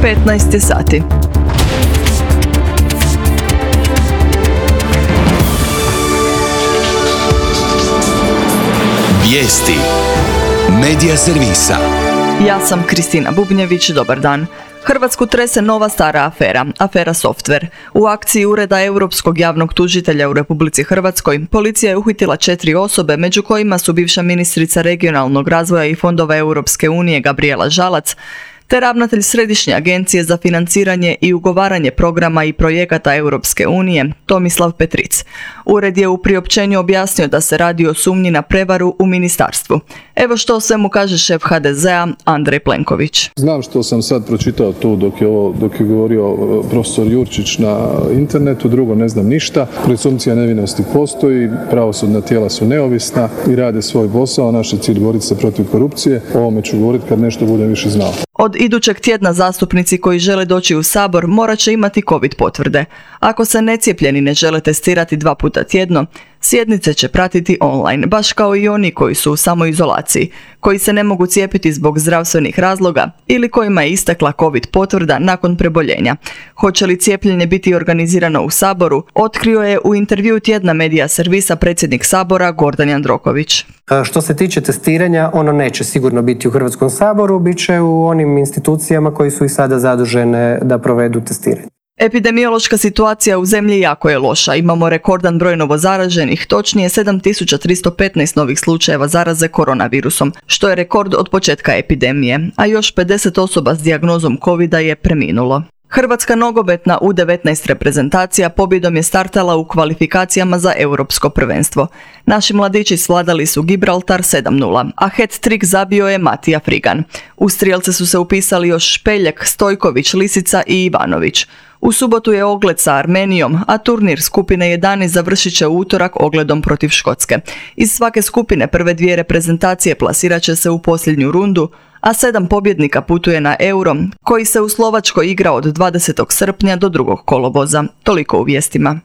15 sati. Vijesti Medija servisa. Ja sam Kristina Bubnjević, dobar dan. Hrvatsku trese nova stara afera, afera Softver. U akciji Ureda Europskog javnog tužitelja u Republici Hrvatskoj policija je uhitila 4 osobe, među kojima su bivša ministrica regionalnog razvoja i fondova Europske unije Gabrijela Žalac, te ravnatelj Središnje agencije za financiranje i ugovaranje programa i projekata Europske unije Tomislav Petric. Ured je u priopćenju objasnio da se radi o sumnji na prevaru u ministarstvu. Evo što o svemu kaže šef HDZ-a Andrej Plenković. Znam što sam sad pročitao tu dok je govorio profesor Jurčić na internetu, drugo ne znam ništa. Presumpcija nevinosti postoji, pravosudna tijela su neovisna i rade svoj posao. Naš je cilj boriti se protiv korupcije. O ovome ću govoriti kad nešto budem više znao. Od idućeg tjedna zastupnici koji žele doći u Sabor morat će imati COVID potvrde. Ako se necijepljeni ne žele testirati 2 puta tjedno, sjednice će pratiti online, baš kao i oni koji su u samoizolaciji, koji se ne mogu cijepiti zbog zdravstvenih razloga ili kojima je istekla COVID potvrda nakon preboljenja. Hoće li cijepljenje biti organizirano u Saboru, otkrio je u intervjuu Tjedna Medija servisa predsjednik Sabora Gordan Jandroković. Što se tiče testiranja, ono neće sigurno biti u Hrvatskom saboru, bit će u onim institucijama koji su i sada zadužene da provedu testiranje. Epidemiološka situacija u zemlji jako je loša. Imamo rekordan broj novozaraženih, točnije 7315 novih slučajeva zaraze koronavirusom, što je rekord od početka epidemije, a još 50 osoba s dijagnozom covida je preminulo. Hrvatska nogometna U19 reprezentacija pobjedom je startala u kvalifikacijama za europsko prvenstvo. Naši mladići svladali su Gibraltar 7:0, a hat-trick zabio je Matija Frigan. U strijelce su se upisali još Špeljak, Stojković, Lisica i Ivanović. U subotu je ogled sa Armenijom, a turnir skupine 11 završit će u utorak ogledom protiv Škotske. Iz svake skupine prve 2 reprezentacije plasirat će se u posljednju rundu, a 7 pobjednika putuje na Euro, koji se u Slovačkoj igra od 20. srpnja do 2. kolovoza. Toliko u vijestima.